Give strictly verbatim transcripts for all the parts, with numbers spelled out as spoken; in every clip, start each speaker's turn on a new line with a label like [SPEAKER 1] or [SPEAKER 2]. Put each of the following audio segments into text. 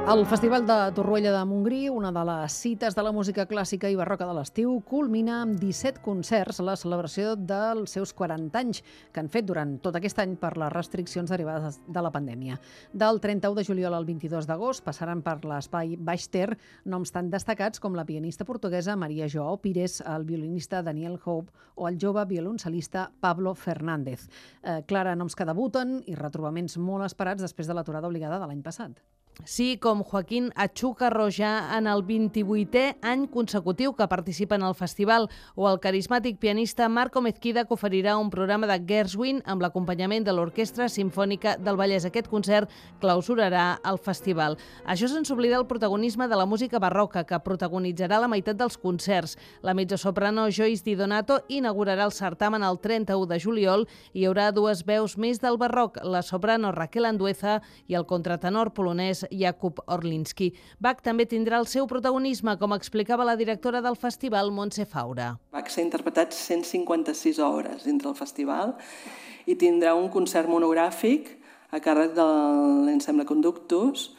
[SPEAKER 1] El Festival de Torroella de Montgrí, una de les cites de la música clàssica i barroca de l'estiu, culmina amb disset concerts la celebració dels seus quaranta anys, que han fet durant tot aquest any per les restriccions derivades de la pandèmia. Del trenta-u de juliol al vint-i-dos d'agost passaran per l'espai Baix Ter noms tan destacats com la pianista portuguesa Maria Joao Pires, el violinista Daniel Hope o el jove violoncel·lista Pablo Fernández. Eh, Clara, noms que debuten i retrobaments molt esperats després de l'aturada obligada de l'any passat.
[SPEAKER 2] Sí, com Joaquín Achúcar Rojà en el vint-i-vuitè any consecutiu que participa en el festival, o el carismàtic pianista Marco Mezquida, que oferirà un programa de Gershwin amb l'acompanyament de l'Orquestra Simfònica del Vallès. Aquest concert clausurarà el festival. Això sense oblidar el protagonisme de la música barroca, que protagonitzarà la meitat dels concerts. La mezzosoprano Joyce Di Donato inaugurarà el certamen el trenta-u de juliol i hi haurà dues veus més del barroc, la soprano Raquel Andueza i el contratenor polonès Jakub Orlinski. Bach també tindrà el seu protagonisme, com explicava la directora del festival, Montse Faura.
[SPEAKER 3] Bach s'ha interpretat cent cinquanta-sis hores dintre el festival i tindrà un concert monogràfic a càrrec de l'Ensemble Conductus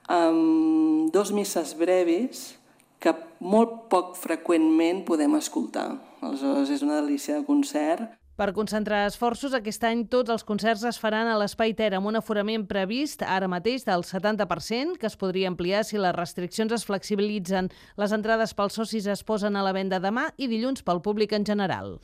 [SPEAKER 3] amb dos misses brevis que molt poc freqüentment podem escoltar. Aleshores, és una delícia de concert.
[SPEAKER 2] Per concentrar esforços, aquest any tots els concerts es faran a l'Espai Ter amb un aforament previst ara mateix del setanta per cent, que es podria ampliar si les restriccions es flexibilitzen. Les entrades pels socis es posen a la venda demà i dilluns pel públic en general.